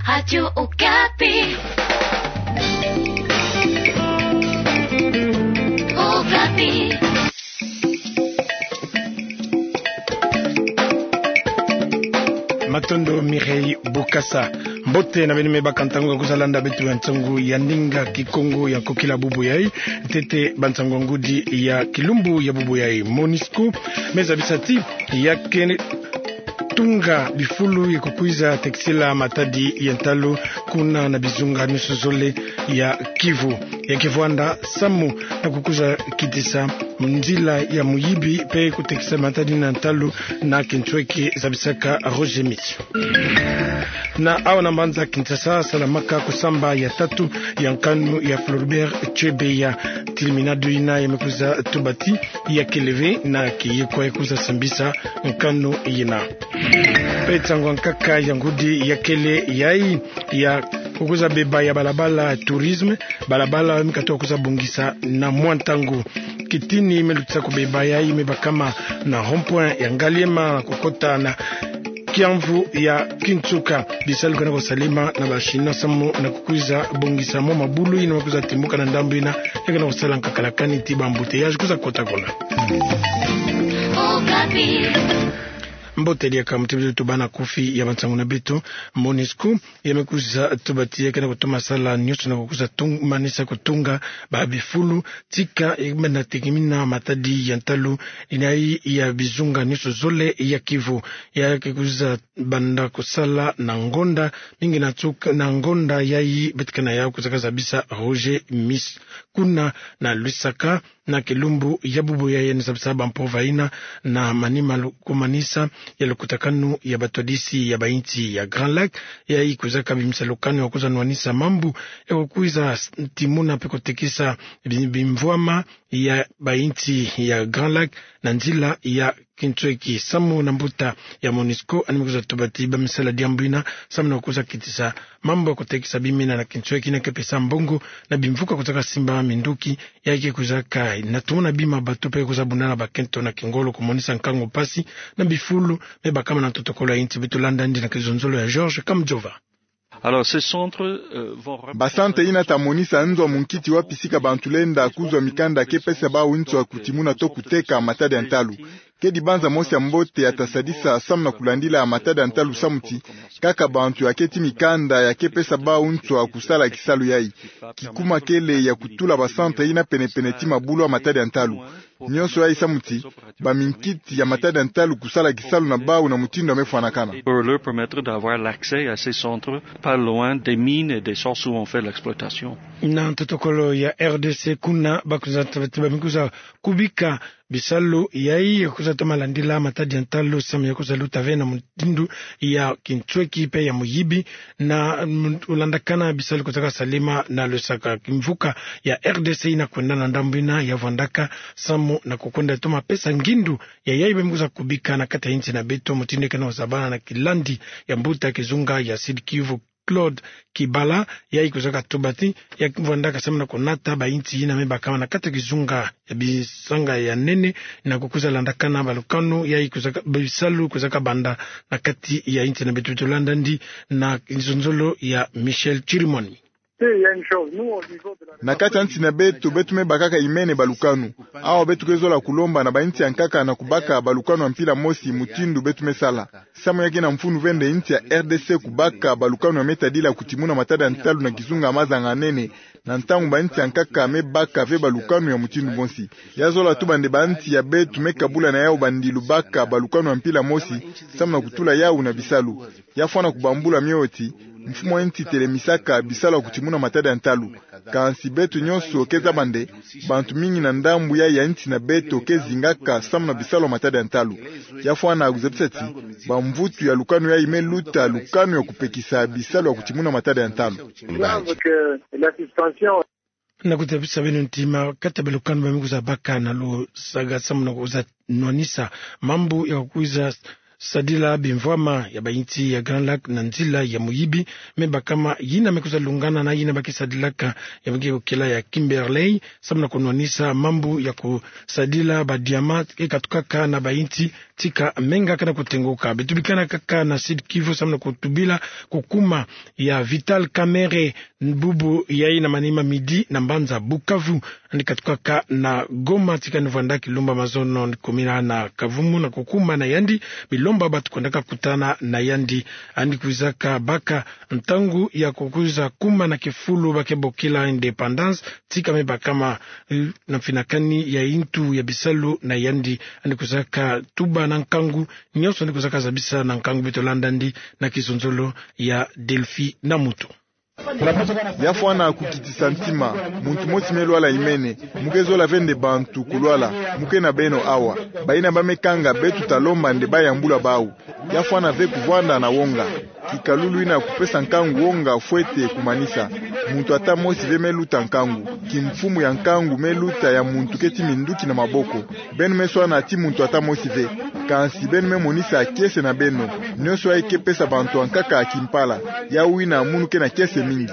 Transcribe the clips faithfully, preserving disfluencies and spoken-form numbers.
Radio Okapi. Okapi. Matondo Mireille Bukasa. Mbote na beno me baka ntangu ya kwiza landa beto ya nsangu ya ndinga Kikongo ya nkokila bubu yai. Ntete bansangu ya ngudi ya kilumbu ya bubu yai. Monusco me zabisa ti ya ke tunga bifulu ya kukwiza tekisila matadi ya ntalu kuna na bizunga nyonso zole ya Kivu. Ya ke vwanda samu na kukwiza kitisa nzila ya muyibi pe kutekisa matadi na ntalu na kintweki, zabisaka Roger Miti. Na awa na mbanza Kinshasa salamaka kusamba ya tatu ya nkanu ya Floribert Chebeya. Tilminado yina ya me kwiza tuba ti ya kele ve na kiyekwa ya kwiza sambisa nkanu yina. Pe nsangu ya nkaka ya ngudi ya kele yai ya kukwiza beba ya balabala tourisme, balabala me katuka kwiza bongisa na mwa ntangu. Kitini me lutisa kubeba yai me bakama na rond-point ya Ngaliema kukota na kiamvu ya Kinsuka. Bisalu kena kusalema na ba Chinois samu na kukwiza bongisa mwa mabulu yina me kwiza timbuka na ndambu yina, ya kena kusala nkaka la kani ti ba embouteillage kwiza kota kuna. Mbote diaka muti beto tubana kufi ya bansangu na beto. Monusco ya me kwiza tuba ti ya kena kutoma sala nyonso na kukwiza tung-, manisa kutunga ba bifulu tika ya banda tekimina matadi ya ntalu yina ya bizunga nyonso zole ya Kivu. Ya ke kwiza banda kusala na ngonda mingi na tuka, na ngonda yai beto ke na yau kwiza kazabisa Roger Miti. Kuna na Lusaka, na kilumbu ya bubu yai, ya ni zabisa ba mpova yina na manima lukumanisa ya lukutakanu ya batwadisi ya ba insi ya Grand Lac, yai kwiza kabimisa lukanu ya kwiza nwanisa mambu ya kukwiza s-, timuna pe kutekisa bi-, bimvwama ya ba insi ya Grand Lac na nzila ya kintweki. Samu na mbuta ya Monusco, yandi me kwiza tuba ti ba me sala diambu yina samu na kukwiza kitisa mambu ya kutekisa bimina na kintweki yina ke pesa mbongo na bimvuka kwiza kasimba minduki, ya ke kwiza ka na tumuna bima bato pe kwiza buna na bakento na kingolo kumonisa nkangu mpasi na bifulu me bakama na ntotokolo ya insi. Beto landa yandi na kizonzolo ya Georges Kamujova. Alors, ces centres, euh, vont rep- Ba centre yina ta monisa nzo ya munkiti wapi sika bantu lenda kuzwa mikanda ke pesa bawu nswa kutimuna to kuteka matadi ya ntalu. Kedi banza mosi ya mbote ya ta sadisa samu na kulandila matadi ya ntalu samu ti kaka bantu ya keti mikanda ya ke pesa bawu nswa kusala kisalu yai. Kikuma kele ya kutula ba centre yina penepene ti mabulu ya matadi ya ntalu. Nyonso yai samu ti ba minkiti ya matadi ya ntalu kusala kisalu na bawu na mutindu ya me fwanakana. Pour leur permettre d'avoir l'accès à ces centres, pas loin des mines et des sources où on fait l'exploitation. Na ntotokolo ya R D C kuna, ba kwiza tuba ti ba me kwiza kubika bisalu yai ya kwiza toma landila matadi ya ntalu samu ya kwiza luta ve na mutindu ya kintweki pe ya muyibi, na, mm, kulandakana bisalu kwiza kasalema na Lusaka. Kimvuka ya R D C yina kwenda na ndambu yina ya vwandaka samu na kukwenda toma pesa ngindu ya yai ba me kwiza kubika na kati ya insi na beto, mutindu ke na ozabana na kilandi ya mbuta kizunga ya Sud-Kivu, Claude Kibala, yai kwiza katuba ti ya vwandaka samu na kunata ba insi yina me bakama na kati ya kizunga ya bisanga ya nene, na kukwiza landakana balukanu yai kwiza ka-, bisalu kwiza kabanda na kati ya insi na beto. Beto landa yandi na kizonzolo ya Michel Chirimwami. Na kati ya nsi na beto, beto me bakaka imene balukanu. Awa beto ke zola kulomba na ba insi ya nkaka na kubaka balukanu ya mpila mosi mutindu beto me sala. Samu ya ke na mfunu vende insi ya R D C kubaka balukanu ya me tadila kutimuna matadi ya ntalu na kizunga ya mazanga ya nene, na ntangu ba insi ya nkaka me baka ve balukanu ya mutindu mosi. Ya zola tuba nde ba insi ya beto me kabula na yawu bandilu baka balukanu ya mpila mosi, samu na kutula yawu na bisalu. Ya fwana kubambula mio ti, mfumu a insi telemisaka bisalu ya kutimuna matadi ya ntalu. Kansi beto nyonso ke zaba nde, bantu mingi na ndambu yai ya insi na beto ke zingaka samu na bisalu ya matadi ya ntalu. Ya fwana kuzabisa ti, bamvutu ya lukanu yai me luta lukanu ya kupekisa bisalu ya kutimuna matadi ya ntalu. Na kuzabisa beno ntima, kati ya balukanu ba me kwiza baka na Lusaka samu na kwiza nwanisa mambu ya kwiza sadila bimvwama ya bayinti ya Grand Lac na nzila ya muyibi. Me bakama yina me kwiza lungana na yina ba ke sadilaka ya ba ke bokila ya Kimberley, samu na kunwanisa mambu ya kusadila ba diamant ke katukaka na bayinti, tika menga ke na kutengoka. Beto bikana kaka na Sud-Kivu samu na kutubila kukuma ya Vital Kamerhe, bubu yayi na manima midi na mbanza Bukavu. Yandi katukaka na Goma tika ni vwanda kilumbu ya mazono ni kumina na Kavumu na kukuma na yandi bilomba batu kwendaka kutana na yandi. Yandi kwizaka baka ntangu ya kukwiza kuma na kifulu ba ke bokila Indépendance, tika me bakama, eh, na mfinakani ya yintu ya bisalu na yandi. Yandi kwizaka tuba na nkangu, nyonso yandi kwizaka zabisa na nkangu. Beto landa yandi na kizonzolo ya Delphi na Mutu. Ya fwana kukitisa ntima, muntu mosi me lwala imene, mu ke zola ve nde bantu kulwala, mu ke na beno awa. Bayina ba me kanga beto ta lomba nde ba yambula bawu. Ya fwana ve kuvwanda na wonga. Kikalulu yina kupesa nkangu wonga fwete kumanisa. Muntu ata mosi ve me luta nkangu. Kimfumu ya nkangu me luta ya muntu keti minduki na maboko. Beno me swana ti muntu ata mosi ve. Kansi beno me monisa kiese na beno. Nyonso yayi ke pesa bantu ankaka kimpala. Yawu yina munu ke na kiese mingi.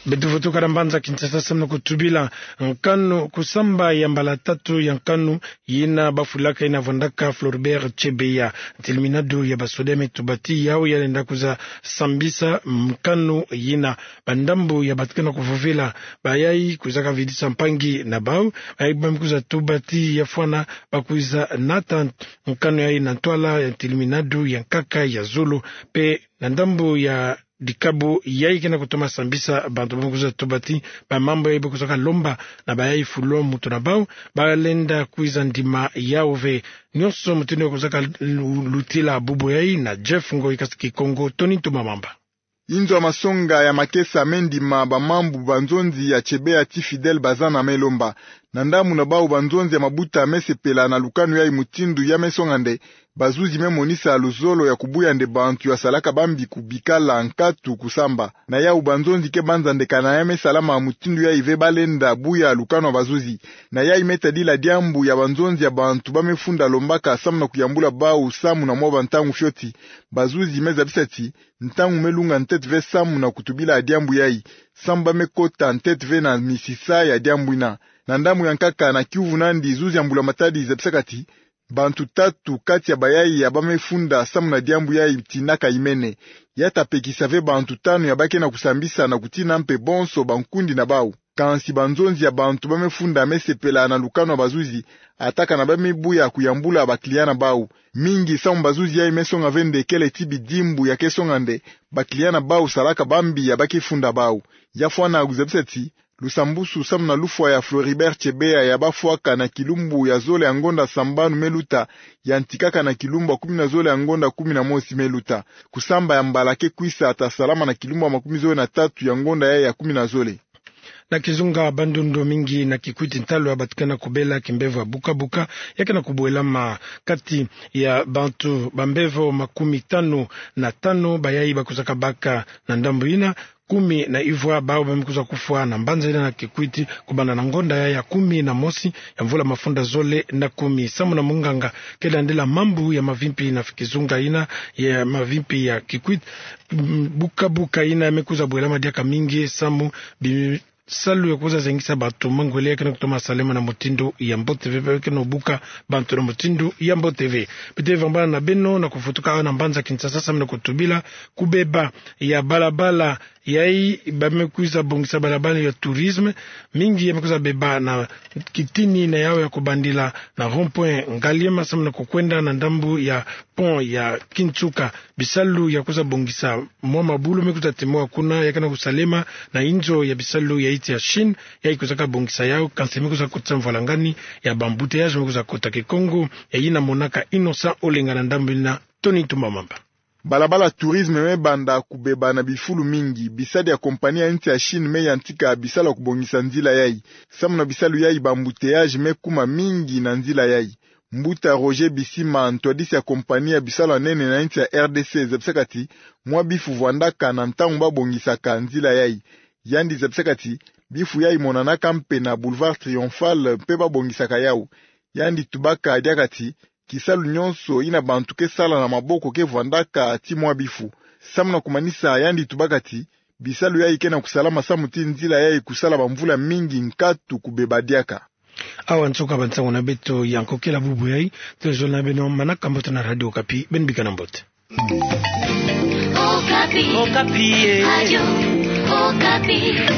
Beto vutuka na mbanza Kinshasa samu na kutubila nkanu, kusamba ya mbala tatu ya nkanu yina bafulaka yina vwandaka Floribert Chebeya. Ntiliminado ya basoda me tuba ti yawu ya lenda kwiza sambisa nkanu yina. Ba ndambu ya batu ke na kuvovela, bayayi kwizaka vidisa mpangi na bawu, bayayi ba me kwiza tuba ti ya fwana ba kwiza nata nkanu yayi na ntwala ya ntiliminado ya nkaka ya zulu. Pe na ndambu ya dikabu yayi ke na kutoma sambisa bantu, ba me kwiza tuba ti ba mambu yayi ba kwizaka lomba na bayayi fulu mutu na bawu, ba lenda kwiza ndima yawu ve. Nyonso mutindu ya kwizaka lu-, lutila bubu yayi na Jeff Ngoyi, kasi Kikongo Tony Ntumamamba. Inzo ya masonga ya makesa me ndima ba mambu ba nzonzi ya Chebeya ti Fidèle Bazana me lomba. Na ndambu na bawu, ba nzonzi ya mabuta me sepela na lukanu yayi mutindu ya me songa nde, bazuzi me monisa luzolo ya kubuya nde bantu ya salaka bambi kubikala nkatu kusamba. Na yawu ba nzonzi ke banza nde kana ya me salama mutindu yayi ve ba lenda buya lukanu ya bazuzi. Na yayi me tadila diambu ya ba nzonzi ya bantu ba me funda lombaka samu na kuyambula bawu samu na mwa ba ntangu fioti. Bazuzi me zabisa ti ntangu me lunga ntete ve samu na kutubila diambu yayi, samu ba me kota ntete ve na misisa ya diambu yina. Na ndambu ya nkaka, na kiuvu nandi, zuzi ya mbula matadi zabisaka ti bantu tatu kati ya bayayi ya ba me funda samu na diambu yayi ti naka imene. Ya ta pekisa ve bantu tanu ya ba ke na kusambisa na kutina mpe bonso bankundi na bawu. Kansi ba nzonzi ya bantu ba me funda me sepela na lukanu ya bazuzi, atakana ba me buya kuyambula ba client na bawu. Mingi samu bazuzi yayi me songa ve nde kele ti bidimbu ya ke songa nde ba client na bawu salaka bambi ya ba ke funda bawu. Ya fwana kuzabisa ti lusambusu samu na lufwa ya Floribert Chebeya ya ba fwaka na kilumbu ya zole ya ngonda sambanu me luta, yantikaka na kilumbu ya kumi na zole ya ngonda kumi na mosi me luta. Kusamba ya mbala ke kwisa ta salama na kilumbu ya makumi zole na tatu ya ngonda yayi ya kumi na zole. Na kizunga Bandundu, mingi na Kikwit, ntalu ya batu ke na kubela kimbevo ya bukabuka ya ke na kubwelama. Kati ya bantu bambevo makumi tanu na tanu bayayi ba kwizaka baka na ndambu yina, kumi na ivwa bawu ba me kwiza kufwa na mbanza yina na Kikwit, kubanda na ngonda yayi ya kumi na mosi ya mvula mafunda zole na kumi. Samu na munganga ke landila mambu ya mavimpi na kizunga yina ya mavimpi ya Kikwit, mm, bukabuka yina me kwiza bwelama diaka mingi samu bisalu ya kwiza zengisa bantu mangwele ya ke na kutoma salema na mutindu ya mbote ve, ba ke na buka bantu na mutindu ya mbote ve. Beto vambana na beno na kuvutuka awa na mbanza Kinshasa samu na kutubila kubeba ya balabala yayi ba me kwiza bongisa, balabala ya tourisme. Mingi ya me kwiza beba na kitini na yawu ya kubandila na rond-point Ngaliema samu na kukwenda na ndambu ya pont ya Kinsuka. Bisalu ya kwiza bongisa mwa mabulu me kwiza temoa kuna, ya ke na kusalema na inzo ya bisalu ya insi ya Chine, yayi kwizaka bongisa yawu, kansi me kwiza kotisa mvwalangani ya ba embouteillage me kwiza kota. Kikongo ya yina monaka Innocent Olenga na ndambu yina, Tony Ntumamamba. Balabala tourisme me banda kubeba na bifulu mingi. Bisadi ya kompani ya insi ya Chine me yantika bisalu ya kubongisa nzila yayi. Samu na bisalu yayi, ba embouteillage me kuma mingi na nzila yayi. Mbuta Roger Bisima, ntwadisi ya kompani ya bisalu ya nene na insi ya R D C, zabisaka ti mwa bifu vwandaka na ntangu ba bongisaka nzila yayi. Yandi zabisaka ti bifu yayi monanaka mpe na Boulevard Triomphal mpe ba bongisaka yawu. yandi tubaka diaka ti, kisalu nyonso ina bantu ke sala na maboko ke vwandaka ti mwa bifu. Samu na kumanisa, yandi tubaka ti, bisalu yayi ke na kusalama samu ti nzila yayi kusala bamvula mingi nkatu kubeba diaka. Awa nsuka bansangu na beto ya nkokela bubu yayi. Tozolo na beno manaka mbote na Radio Okapi, beno bika na mbote. Okapi. Okapi, eh. Radio Okapi.